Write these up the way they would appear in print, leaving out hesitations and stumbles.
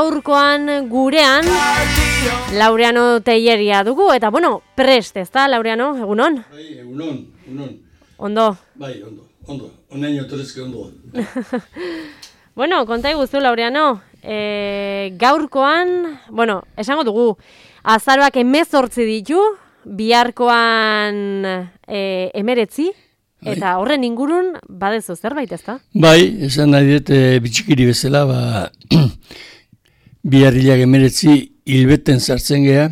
gaurkoan gurean Laureano Telleria dugu, eta bueno, prest, ezta, Laureano, egunon? Bai, egunon. Ondo? Bai, ondo. Onaino torezke ondo. Bueno, konta iguzu, Laureano, gaurkoan, bueno, esango dugu, azaroak 18 ditu, biharkoan 19, eta horren ingurun badezu zerbait, ezta? Bai, esan nahi dut bitxikiri bezala, biharrilak 19 hilbeten sartzen geha,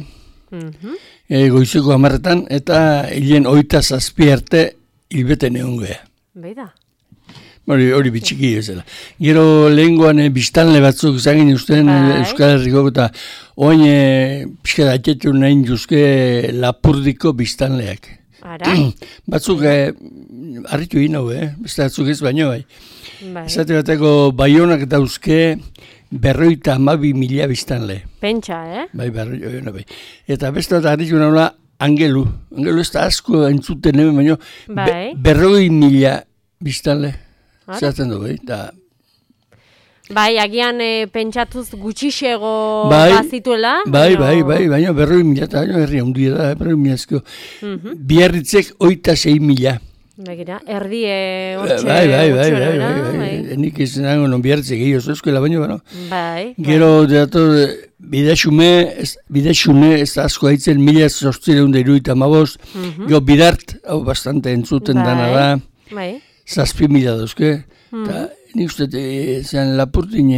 goizeko 10 eta hilen 27 arte hilbeten egon geha. Beida. Hori bitxiki bezala. Gero lehengoan biztanle batzuk zagin usten Euskal Herriko eta oain pixka daitetu nahi duzke Lapurdiko biztanleak. Ara? Batzuk harritu egin hau, beste batzuk ez baino bai. Esate bateko Baionak dauzke 52.000 biztanle. Pentsa, Bai, bai. Eta beste bat harritu nahi Angelu. Angelu ez da asko entzuten hemen baino 40.000 biztanle. Zeratzen du, da. Bai, agian pentsatuz gutxixego bazituela. Bai, baina 40.000 eta herri handia da, 40.000. Biarritzek 26.000. Begira, erdie hortxe. Bai. Nik izan nago non biarritzek egin oso baina, Bai. Gero, bidexume ez da asko haitzen 1875. Gero bidart, hau bastante entzuten dana da. Bai. 7.000 dauzke, eta nik uste zean Lapurdin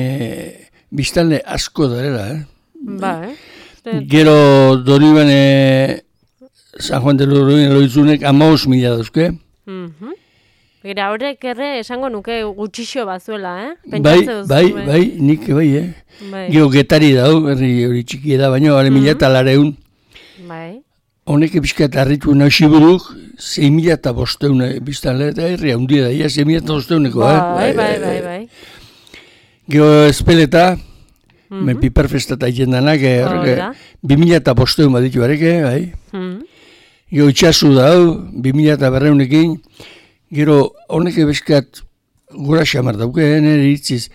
biztanle asko darela, Bai. Gero Doniban San Juan de Loizunek 15.000 dauzke. Gira horrek esango nuke gutxixo bazuela, Bai, nik bai, Gero Getari dau, herri hori txiki da, baina 1.000 Bai. Honek epizka eta harritu nahiburuk 6.500 biztanle eta herri handia da, 6.500 Bai. Gero Espeleta, piperfestata ikendanak, 2.500 baditu bareke, bai. Gero Itxasu dau, 2.200 gero honek epizkat gura xamar dauke, nire itziz,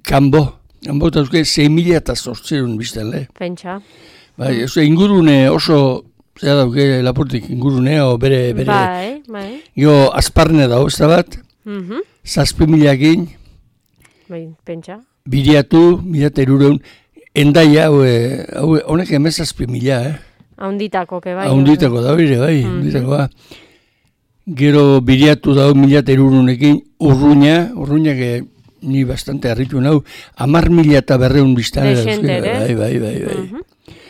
Kanbo dauzke 6.800 biztanle. Pentsa. Bai, ingurune oso zera dauke Lapurdik ingurunea, bere... Bai. Gero Azparne dago, ez da bat, 7.000 Bai, pentsa. Biriatu, 1.200, Endaia, honek 7.000, Haunditako, bai. Haunditako da, bai. Gero Biriatu dago 1.200 Urruña, ni bastante harritu nau, 10.200 biztane. Dexentere.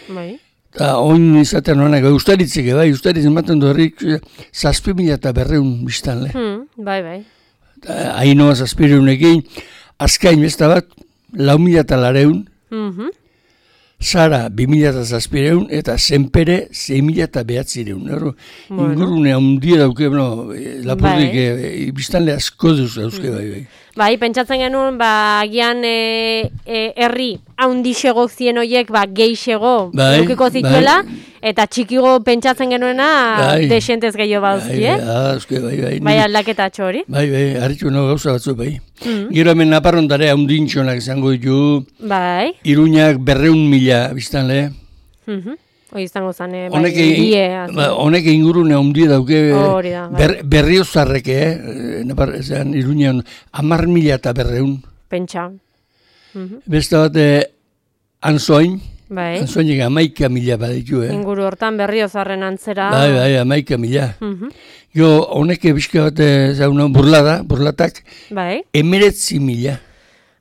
Bai. Eta oin izaten honak, ustaritzeke, ustaritz ematen du herrik 7.200 biztanle. Bai. Ainoa 7.000, Azkain besta bat, 4.200, Zara 2.700 eta Zenpere 6.900. Ingurune handia dauke, Lapurdik biztanle asko dauzke, bai. Bai, pentsatzen genuen, agian herri haundixego zien horiek, geixego dukiko zituela, eta txikigo pentsatzen genuena desentez gehiago bauzki, Bai, bai aldaketa hori. Bai, harritu nago gauza batzu, bai. Gero hemen Naparrondare haundintxonak izango ditu, bai. Iruñak 200.000 biztanle. Hoi izango zane, honek ingurune handia dauke, Berriozarrek, Iruñan 10.200. Pentsa. Beste bat, Anzoain, Bai. Anzoainek 11.000 baditu, Inguru hortan Berriozarren antzera. Bai, 11.000. Jo, honek bizka bat, burlatak, 19.000.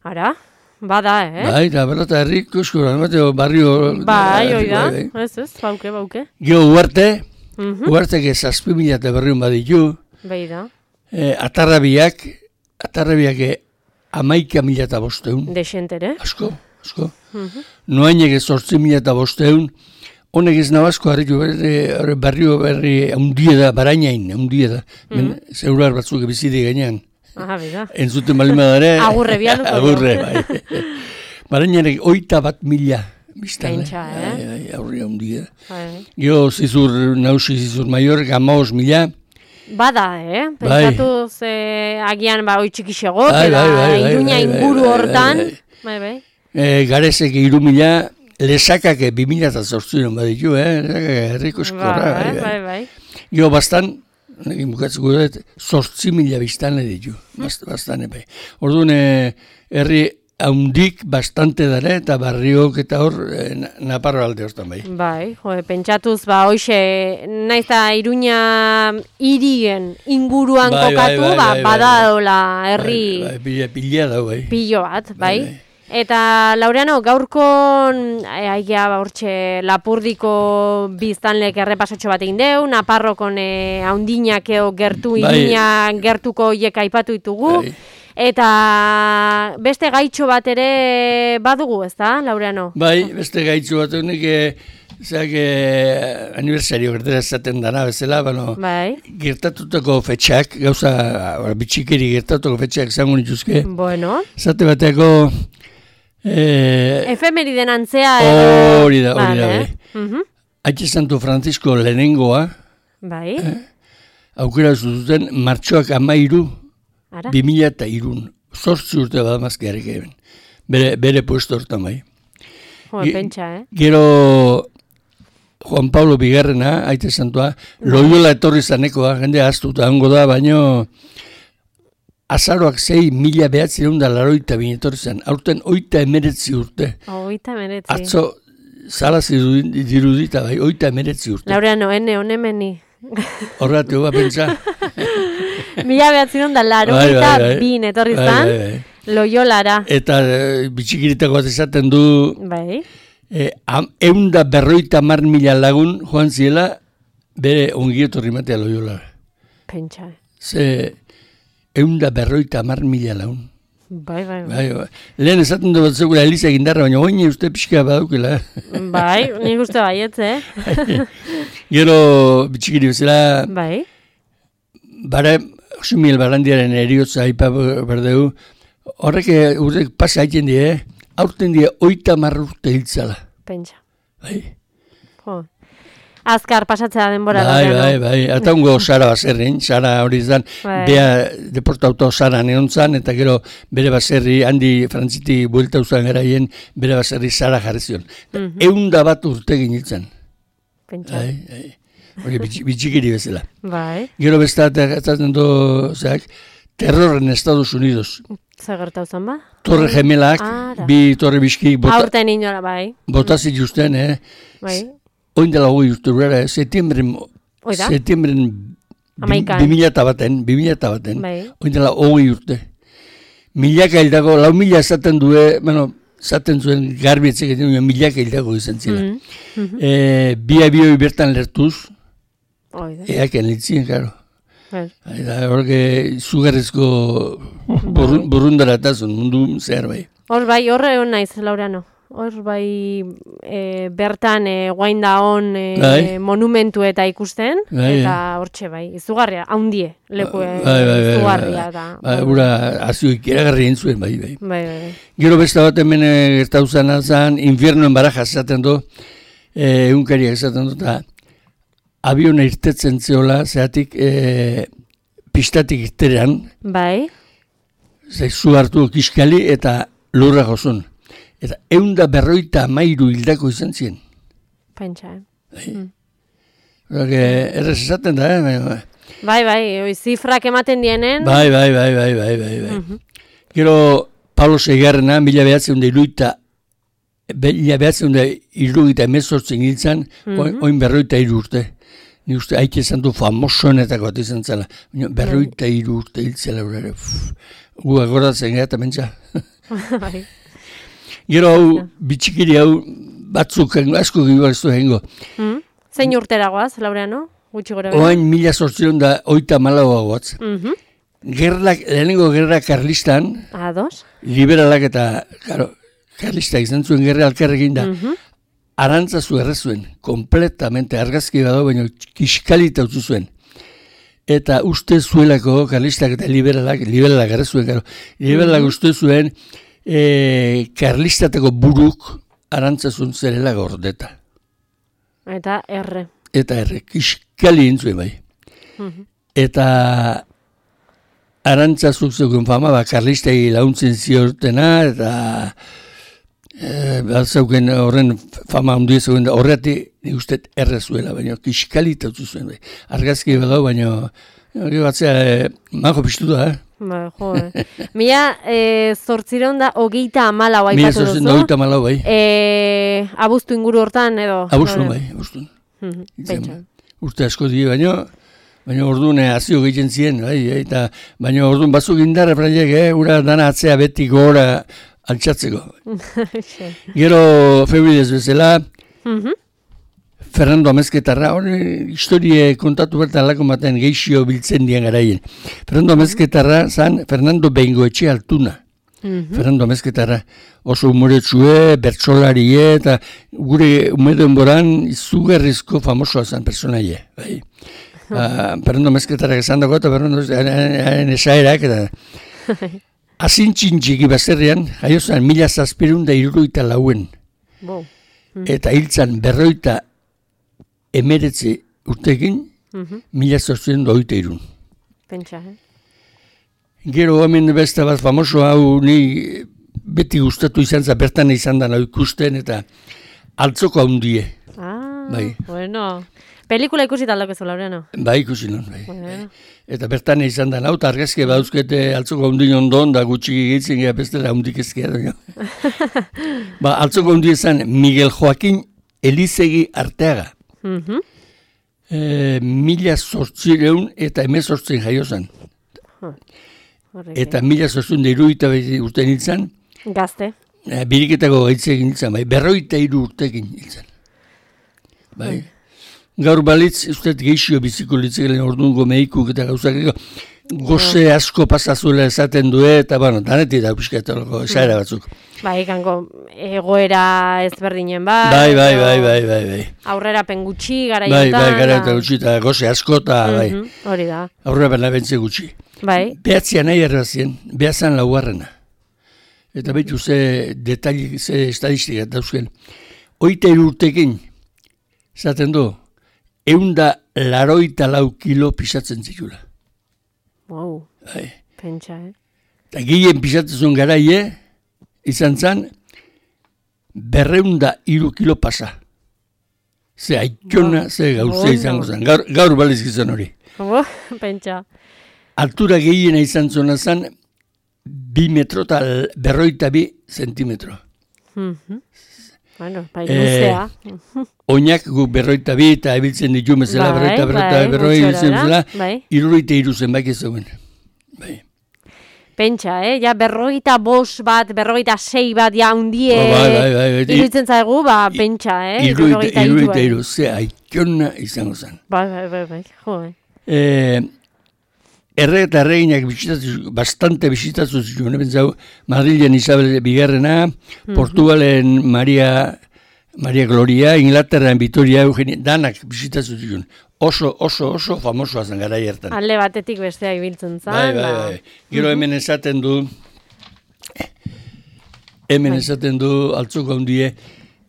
Ara? Bada, Bai, da berrata herrik, eskura, barrio... Bai, oida, ez, bauke. Gio, Uartek 7.200 baditu. Bai da. Atarrabiak 11.500. Desentere. Asko. Noainek 8.500. Honek ez nabazko harritu, barrio berri handia da, Barainain handia da. Zeurar batzuk bizide gainean. Bida. Entzuten balima dara. Agurre bialuko. Agurre, bai. Barainanek 81.000 biztanle. Pentsa, Aurria handia. Gero zizur maior, 15.000. Bada, Pentsatuz agian oi txikixego, Iruña inguru hortan. Bai. Garezek 3.000, lesakak 2.008 baditu, herriko eskorra. Bai. Gero bastan, bukatzeko dut, 8.000 biztanle ditu, bastane bai. Orduan, herri haundik bastante dara eta barriok eta hor Naparro alde hortan bai. Bai, pentsatuz, hoxe, naiz da Iruña hirien inguruan kokatu, badadola herri... Pila da, bai. Pilo bat, bai. Eta, Laureano, gaurkon, hortxe, Lapurdiko biztanlek errepasotxo bat egin deu, Naparrokon haundinak gertu, Iruña gertuko hiek aipatu ditugu. Eta beste gaitxo bat ere badugu, ez da, Laureano? Bai, beste gaitxo bat honik, aniversario gertera esaten dana bezala, gertatutako fetxak, gauza bitxikeri gertatutako fetxak zango nituzke. Bueno. Zate bateko... Efemeriden antzea hori da, bai. Aitzi Santo Francisco lehenengoa, bai. Aukera zuten martxoak 13, 2003, 8 urte bat mazkiarek eben. Bere puesto hortan bai. Pentsa, Gero Juan Pablo Bigarrena, Aite Santoa, Loyola etorri zanekoa, jende aztuta hango da, baino azaroak 6.982 etorri zan. Aurten 89 urte. 89. Atzo zalazi dirudita bai, 89 urte. Laureano, honemeni. Horratu, pentsa. 1982 etorri zan, Loyolara. Eta bitxikiritako bat esaten du, bai. 150.000 lagun joan ziela, bere ongietorri matea Loyolara. Pentsa. Ze 150.000 lagun. Bai. Lehen esaten du bat zegura Eliza Gindarra, baina oine uste pixka badaukela. Bai, nik uste baietz, Gero bitxikiri bezala, bai. Bara, Xumiel Barandiaren eriotza aipa berdeu, horrek urtek pasa haiten die, aurten die 30 urte hiltzala. Pentsa. Bai. Azkar pasatzea denbora. Bai. Eta ungo Sara baserrin, Sara hori izan, bea deportauto Sara neontzan, eta gero bere baserri, handi frantziti buelta uzan garaien, bere baserri Sara jarri zion. 101 urte ginitzen. Pentsa. Bai. Hori bitxikiri bezala. Bai. Gero bestat ezaten du, terror en Estados Unidos. Zer gertau zen ba? Torre gemelak, bi torre bizki aurten inola, bai. Botazik justen, bai. Oin dela hoi urte urera, septiembren 2000 bai. Oin dela hoi urte. Milaka hildako, 4.000 esaten due, zaten zuen garbietzek egiten, milaka hildako izan zela. Bi abioi bertan lertuz, eaken litzien, karo. Horke zugarrezko burrundara etazun, mundu zehar bai. Hor bai, horre hon naiz, Laureano. Hor bai bertan guain da hon monumentu eta ikusten, eta hortxe bai, izugarria, haundie, leku izugarria da. Hura azioik eragarri entzuen bai. Bai. Gero besta bat hemen gertauzan azan, infiernoen baraja esaten du, egunkariak esaten du, eta abiona irtetzen zeola, zeatik pistatik irterean, bai. Zu hartu kiskali eta lurra jozun. Eta 153 hildako izan ziren. Pentsa, Errez esaten da, Bai, zifrak ematen dienen. Bai. Gero, Pablo Seigarrena, 1978 hiltzen, oin 43 urte. Ni uste, haike esan du famosoenetako bat izan zela. 43 urte hiltzela. Gu agoratzen gara eta mentza. Gero hau, bitxikiri hau, batzuk asko gibareztu egingo. Zein urteragoaz, Laureano? Gutxi gora bera? Oain 1884 goaz. Lehenengo gerra karlistan, liberalak eta karlistak izan zuen gerra alkarrekin da, arantzazu errezuen, kompletamente argazki bado, baina kiskalita utzu zuen. Eta uste zuelako, karlistak eta liberalak errezuen, liberalak uste zuen, karlistateko buruk arantzazun zerela gordeta. Eta erre. Kiskali intzuen bai. Eta arantzazuk zegoen fama, karlistei launtzen ziortena, eta Zauken horren fama handia zegoen da, horretik nik uste errezuela, baina kiskalitatu zuen. Argazki badau, baina batzea mago piztu da, Ba, jo, Mila, 834 aipatu duzu. 834, bai. Abuztu inguru hortan, edo? Abuztu, bai, abuztu. Urte asko die, baina orduan azio gehien ziren, bai, eta baina orduan batzuk indarra praiek, ura dana atzea beti gora altxatzeko. Gero Febridez bezala, Fernando Amezketarra, hori historie kontatu bertan alako baten geixio biltzen dian garaien. Fernando Amezketarra zan Fernando Bengoetxe Altuna. Fernando Amezketarra oso humoretsue, bertsolarie, eta gure umeden boran izugarrizko famosoa zan personaie. Bai. Fernando Amezketarrak esan dago, eta Fernando esaerak, eta azintxintxiki bazerrean, jaio zan 1764. Eta hiltzan 59 urtekin, 1823. Pentsa, Gero hemen beste bat famoso hau ni beti gustatu izan za bertan izan da ikusten eta altzoko handie. Bai. Bueno, pelikula ikusi taldako ez Laureano. Bai, ikusi non, bai. Bueno. Eta bertan izan da hau argazki badauzkete altzoko handien ondon da gutxi gehitzen gea bestela handik ezkia da. Altzoko handie izan Miguel Joaquín Elizegi Arteaga. 1800 eta 18 jaio zen. Eta 1870 urtean hiltzen. Gazte. Biriketako gaitze egin hiltzen, bai. 43 urtekin hiltzen. Bai. Gaur balitz, usteet geixio biziko litzekelen orduango mehikuk eta gauzak goze asko pasazuela esaten du, eta danetik da pixkatalako esaera batzuk. Bai, kanko egoera ezberdinen bai. Bai. Aurrera pengutxi, garaiotan. Bai, garaiotan gutxi, eta goze asko, eta bai. Hori da. Aurrera pena bentze gutxi. Bai. Behatzia nahi errazien, behazan laugarrena. Eta behitu ze detali, ze estadistika dauzken. 23 urtekin, zaten du, 184 kilo pisatzen zitula. Wow, pentsa, Eta gehien pisatzen garaie, izan zen, 203 kilo pasa. Ze aikona, ze gauzea izango zen. Gaur baliz gizan hori. Pentsa. Altura gehiena izan zona zen, 2 metro eta 52 zentimetro. Bueno, bai luzea. Oinak guk 52 eta ebiltzen ditu bezala, 52 63 zenbaki zegoen. Bai. Pentsa, ja 55 bat, 56 bat, ja hundie, iruditzen zaigu, pentsa, 63, ze aikona izango zen. Bai, jo. Erre eta erreginak bastante bisitatu zituen, bentzau, Madrilen Isabel Bigarrena, Portugalen Maria Gloria, Inglaterran Vitoria Eugenia, danak bisitatu zituen. Oso famosoa zen gara hartan. Alde batetik bestea ibiltzen zen. Bai. Gero hemen esaten du, altzoko handie,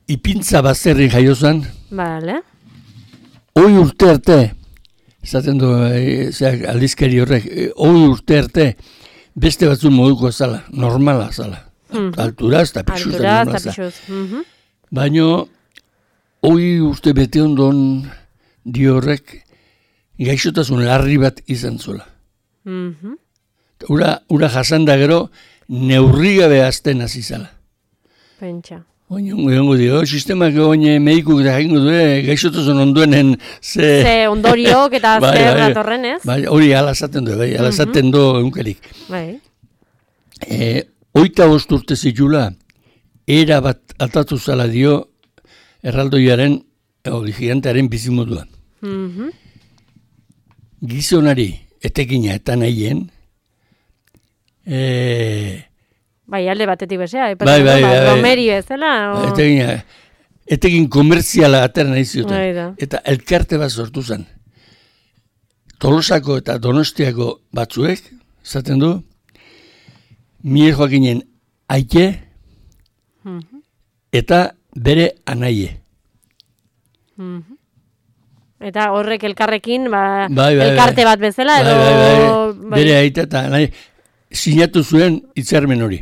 ipintza bazerri jaio zen. Bale. Hoi urte arte, esaten du, aldizkari horrek, hoi urte arte, beste batzun moduko zala, normala zala. Alturaz eta pixuz. Baina, hoi urte bete ondon dio horrek, gaixotasun larri bat izan zula. Ura jasan da gero, neurrigabe azten hasi zala. Pentsa. Oingo dio, sistemak medikuk da jengo du, gaixotasun onduenen ze ondoriok eta zer datorren, ez? Bai, hori alazaten du, alazaten du eunkerik. Bai. 25 urte zitula, era bat altatu zala dio erraldoiaren, gigantearen bizimodua. Gizonari, etekina eta nahien, bai, alde batetik bezea, Romeri bezala. Etekin komertziala atera nahi zioten. Eta elkarte bat sortu zen. Tolosako eta Donostiako batzuek, zaten du, Miguel Joaquinen aike eta bere anaie. Eta horrek elkarrekin, elkarte bat bezala, edo... Bere aita eta nahi, sinatu zuen hitzarmen hori.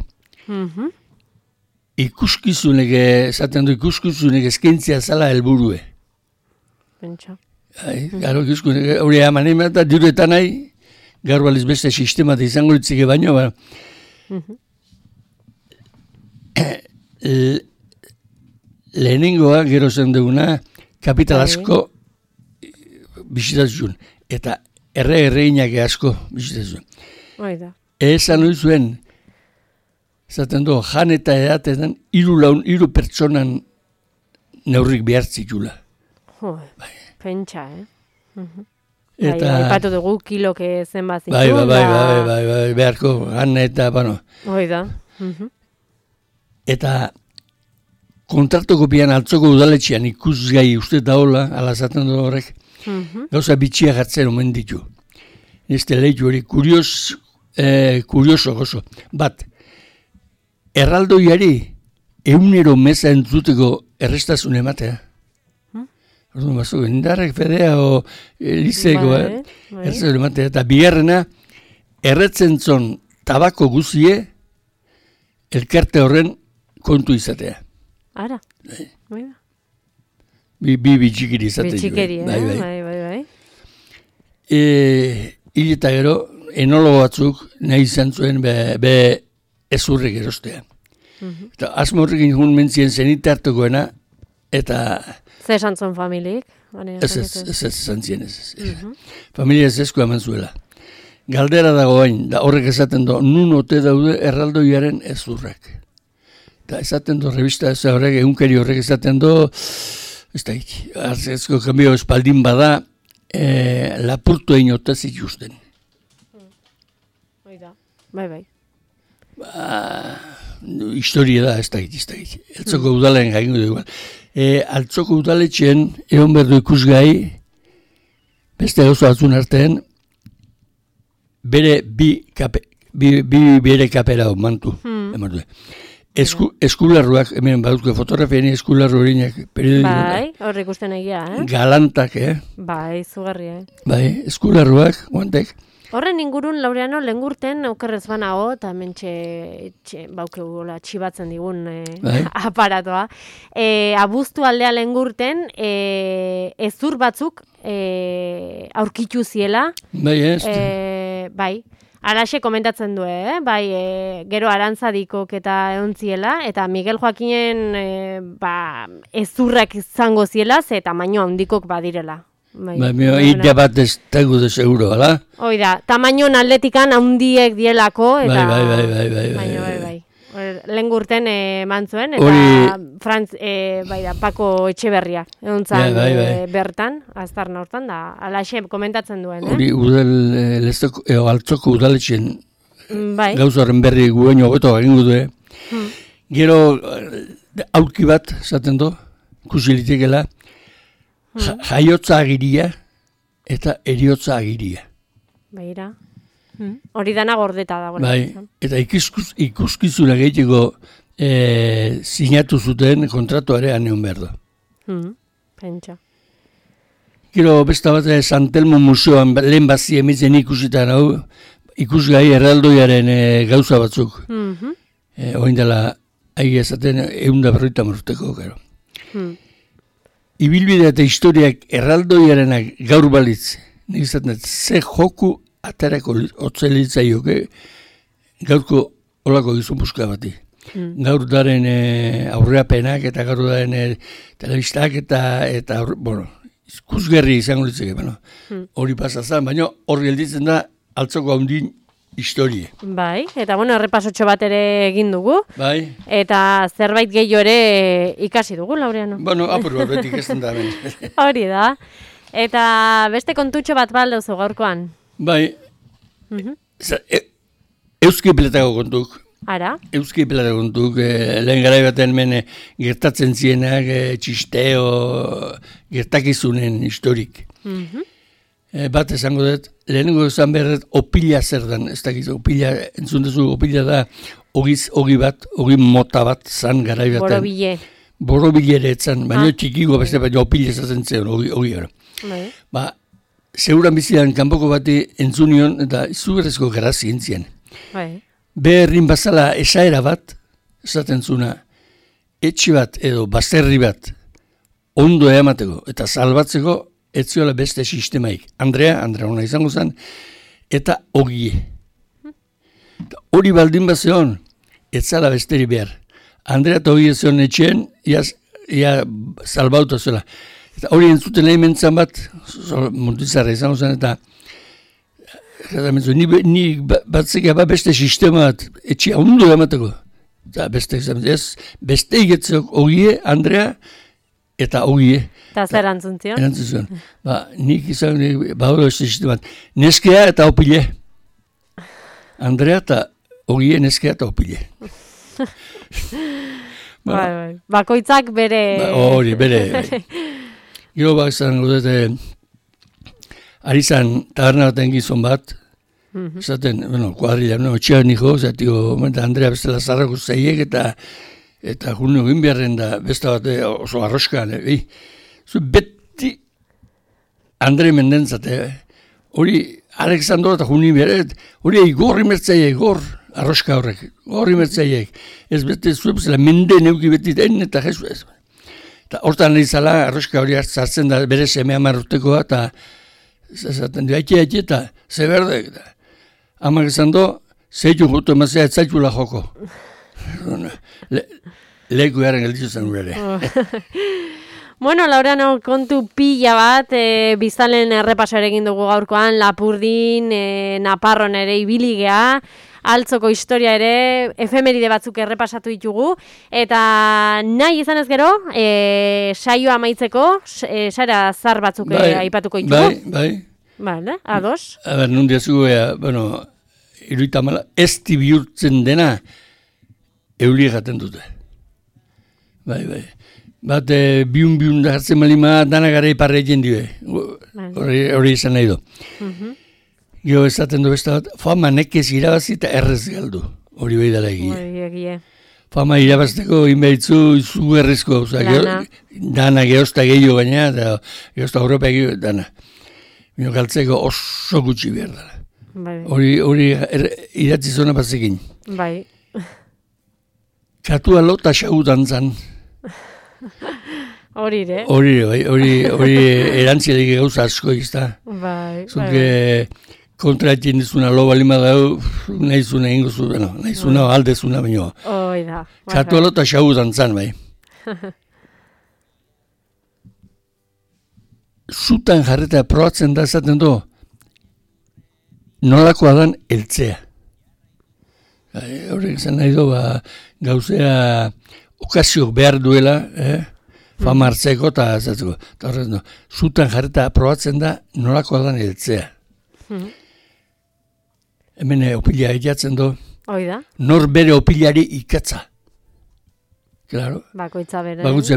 ikuskizunek, esaten du ikuskizunek eskaintzia zala helburue. Pentsa. Garo ikuskizunek, hori eman egin eta diruetan nahi, gaur baliz beste sistema izango ditzike baino, lehenengoa, gero zen duguna, kapital asko bisitatzen, eta erreinak asko bisitatzen. Oida. Esan hori zuen, zaten du, jan eta edatetan, 3 pertsonan neurrik behartzitula. Pentsa, Eta... Aipatu dugu kilok zenbat zitu. Bai, beharko, jan eta, bueno. Oida. Eta kontratuko pian altzoko udaletxean ikusgai uste daola, alazaten du horrek, gauza bitxia gartzen omen ditu. Este leitu hori, kurioso gozo. Bat, erraldoiari 100 meza entzuteko errestasun ematea. Orduan batzuk, indarrek fedea o lizeeko, errestasun ematea. Eta bigarrena, erretzen zon tabako guzie, elkarte horren kontu izatea. Ara. Bi bitxikiri izatea. Bitxikiri, bai. Eta gero, enologo batzuk nahi izan zuen be ezurrek erostea. Eta asmo horrekin jun mentzien zenite hartukoena, eta... Zer esan zuen familik? Ez esan zien, ez. Familia ez ezko eman zuela. Galdera dago bain, da horrek esaten du, nun ote daude erraldoiaren ezurrak. Eta esaten du, revista ez horrek, egunkari horrek esaten du, ez da iki, arzezko kambio espaldin bada, lapurtu egin otez ikusten. Bai. Historia da, ez da iki. Altzoko udalen gaingo dugu. Altzoko udaletxen, egon berdu ikusgai, beste gauza batzun artean, bere bere kapera mantu. Eskularruak, hemen baduzko fotografiani eskularru horinak periodikoa. Bai, horrik usten egia, Galantak, Bai, zugarri, Bai, eskularruak, guantek. Horren ingurun, Laureano, lengurten okerrez banago, eta mentxe baukegula txibatzen digun aparatoa. Abuztu aldea lengurten, ezur batzuk aurkitu ziela. Bai, Bai, alaxe komentatzen du, bai, gero arantzadikok eta eontziela, eta Miguel Joakinen ezurrak izango ziela, ze tamaino handikok badirela. Ida bat ez tegu de seguro, ala? Oida, tamainoan atletikan handiek dielako, eta... Bai. Lengurten mantzuen, eta Pako Etxeberria, egontzan bertan, aztarna hortan, da, alaxe komentatzen duen, Hori, altzoko udaletxen gauzaren berri guen hobeto egingo du, Gero, aurki bat, zaten du, kusilitekela, jaiotza agiria eta eriotza agiria. Baira. Hori dana gordeta dago. Bai, eta ikuskizuna gehiteko sinatu zuten kontratuare aneon behar da. Pentsa. Gero besta bat Santelmo Museoan lehen bazi emitzen ikusitan hau, ikusgai erraldoiaren gauza batzuk. Oin dela, ahi ezaten 150 urteko, gero. Ibilbidea eta historiak erraldoiarenak gaur balitz, nik izaten, ze joku atarako otzelitzaioke gaurko olako gizun buska bati. Gaur daren aurreapenak eta gaur daren telebistak eta bueno, ikusgerri izango litzeke, hori pasazan, baina horri gelditzen da altzoko handin historie. Bai, eta bueno, errepasotxo bat ere egin dugu. Bai. Eta zerbait gehiago ere ikasi dugu, Laureano. Bueno, apur horretik ez da. Hori da. Eta beste kontutxo bat baldauzu gaurkoan. Bai. Euski peletako kontuk. Ara? Euski peletako kontuk. Lehen garai baten gertatzen zienak, txisteo, gertakizunen historik. Bat esango dut, lehenengo esan behar opila zer den, ez dakiz, opila, entzun duzu, opila da ogi mota bat zan garai baten. Borobile. Borobile ere etzan, baina txikiko beste, baina opila ezazen zen, ogi gara. Seguran bizidan kanpoko bati entzunion, eta izugarrezko gara zientzien. Beherrin bazala esaera bat, esaten zuna, etxe bat edo bazterri bat ondo eamateko eta salbatzeko ez ziola beste sistemaik. Andrea hona izango zen, eta Ogie. Hori baldin bat zeon, ez zala besteri behar. Andrea eta Ogie zeon etxeen, ia salbauta zuela. Eta hori entzuten nahi mentzan bat, Muntizarra izango zen, eta ni batzeka beste sistema bat, etxea ondo eamateko. Eta beste egetzeok Ogie, Andrea, eta Ogie. Eta zer antzuntzio? Erantzun. Nik izan, bauro ez sistema bat. Neskea eta Opile. Andrea eta Ogie, neskea eta Opile. Bakoitzak bere... Hori, bere. Gero izan godete, ari zan taberna baten gizon bat, zaten, kuadrilla, txean niko, zatiko, Andrea bestela zarrako zeiek, eta junio egin beharren da, besta bat oso arroskan, zu beti Andre mendentzate, hori Alexandro eta junio beharret, hori gorri mertzaiek, arroska horrek, gorri mertzaiek, ez beti zuepzela mende neuki beti den, eta jesu ez. Eta hortan nahi zala, arroska hori hartzen da, bere seme amarrutekoa, eta zaten du, eta ze berdek, amak esan do, zeitu jutu emazea, ez zaitula joko. Leku garen gelditu zen urere. Bueno, Laureano, kontu pila bat, biztalen errepaso ere egin dugu gaurkoan, Lapurdin, Naparron ere ibili gea, Altzoko historia ere, efemeride batzuk errepasatu ditugu, eta nahi izan ez gero, saioa amaitzeko, sara zar batzuk aipatuko ditugu. Bai. Vale, ados. Nundia zugu, iruitamala, ez bihurtzen dena, euli egaten dute. Bai. Bat, biun da hartzen malima, dana gara iparre egin dibe. Hori izan nahi du. Gero esaten du besta bat, fama nekez irabazi eta errez galdu. Hori behi dara egia. Fama irabazteko inberitzu izugarrizko. Dana geozta gehiago baina, eta geozta Europa gehiago dana. Bino galtzeko oso gutxi behar dara. Hori idatzi zona batzekin. Bai. Katua lota xau dantzan. Hori erantziarik gauza asko izta. Bai. Zuke kontra etxin dizuna lo balima dau, nahizuna ingo zu, nahizuna aldezuna baino. Oida. Katua lota xau dantzan, bai. Zutan jarreta probatzen da esaten du, nolakoa dan eltzea. Horrek izan nahi du, gauzea okaziok behar duela, fama hartzeko eta zatzeko. Zutan jarreta probatzen da, nolakoa dan eltzea. Hemen opila egiatzen du, nor bere opilari ikatza. Claro. Bakoitza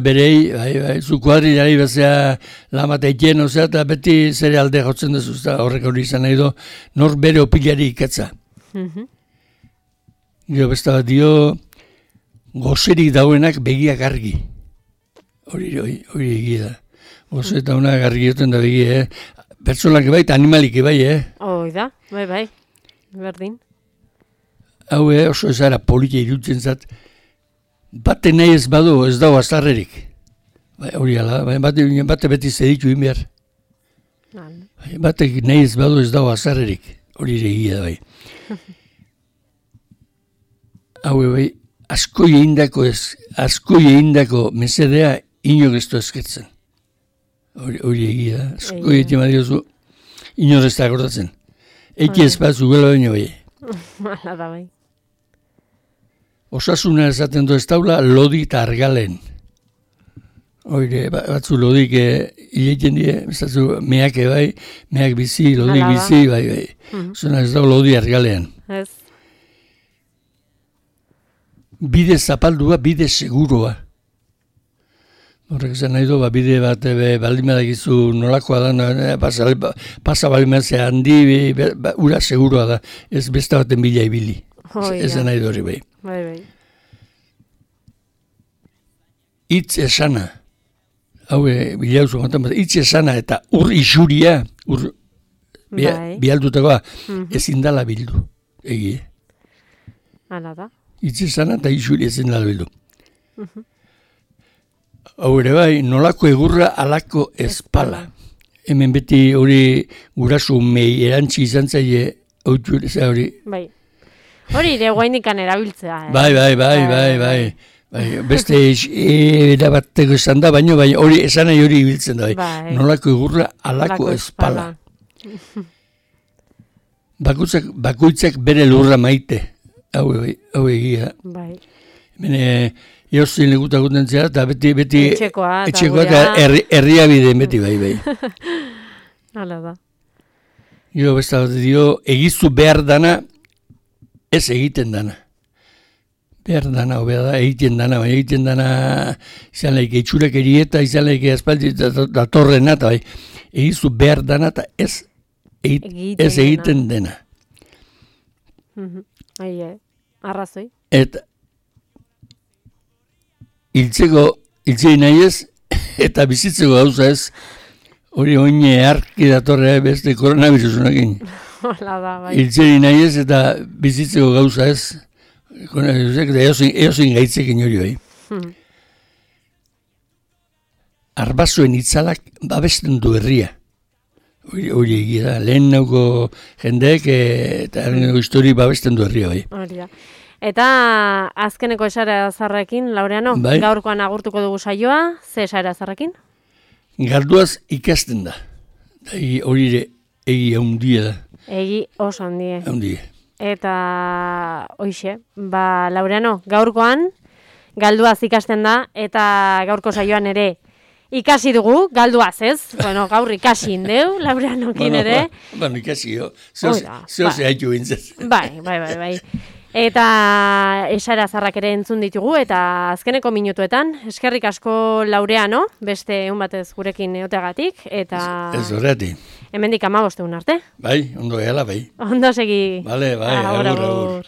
berei, zu kuadrilari bezea lamata ikien, eta beti zere alde jotzen duzu, horrek hori izan nahi du, nor bere opilari ikatza. Gero besta bat dio, gozerik dauenak begiak argi. Hori egia da. Goze eta unak argi joten da begia, Pertsonak bai eta animalik bai, Hoi da, bai, berdin. Hau oso ezara politia irutzen zat, bate nahi ez badu ez dago azarrerik. Hori ala, bate beti zeditu inbiar. Bate nahi ez badu ez dago azarrerik, hori egia da bai. Hau bai, asko egindako mesedea inok ez du esketzen. Hori egia da, asko egiten badiozu, inok ez da akordatzen. Eki ez bat zugela baino bai. Hala da bai. Osasuna esaten du ez daula lodi eta argalen. Hori, batzu lodik hileten die, meak bai, meak bizi, lodik bizi, bai. Zona ez daula lodi argalean. Ez. Bide zapaldua, bide seguroa. Horrek zen nahi du, bide bat baldimadakizu nolakoa da, pasa baldimazea handi, ura seguroa da, ez beste baten bila ibili. Ez da nahi du hori bai. Bai. Itz esana, hau bilauzu maten bat, itz esana eta ur isuria, bialdutakoa, ezin dala bildu, egie. Hala da. Itz esana eta isuri ezin dala bildu. Hau ere bai, nolako egurra alako espala. Hemen beti hori gurasu mei erantzi izan zaie hautu hori. Bai. Hori ere guainikan erabiltzea. Bai. Beste erabateko esan da, baina hori esan nahi hori ibiltzen da. Bai. Nolako egurra alako espala. Bakoitzak bere lurra maite. Hau egia. Bai. Hemen Eozin legutak gutentzea, eta beti etxekoa eta herria bideen beti bai. Hala da. Jo, besta bat dio, egizu behar dana, ez egiten dana. Behar dana, hobea da, egiten dana, baina egiten dana, izan laike itxurek erieta, izan laike aspaldi datorrena, eta bai, egizu behar dana, eta ez egiten dena. Arrazoi. Eta hiltzei nahi ez, eta bizitzeko gauza ez, hori oine arki datorrea beste koronavirusunakin. Hola da, bai. Hiltzei nahi ez, eta bizitzeko gauza ez, eozin gaitzekin hori bai. Arbasoen itzalak babesten du herria. Hori egia da, lehen nauko jendeek eta histori babesten du herria bai. Hori da. Eta azkeneko esara zarrekin, Laureano, gaurkoan agurtuko dugu saioa, ze esara zarrekin? Galduaz ikasten da. Hori ere egi haundia da. Egi oso handie. Eta hoixe, Laureano, gaurkoan galduaz ikasten da, eta gaurko saioan ere ikasi dugu, galduaz ez? Bueno, gaur ikasi indeu, Laureanokin ere. Bueno, ikasi jo, zehoz haitu bintzez. Bai. Eta esara zarrak ere entzun ditugu, eta azkeneko minutuetan, eskerrik asko Laureano, beste egun batez gurekin eoteagatik, eta... Ez horretik. Hemendik 15 egun arte. Bai, ondo gehala, bai. Ondo segi. Bale, bai, agur. Agur.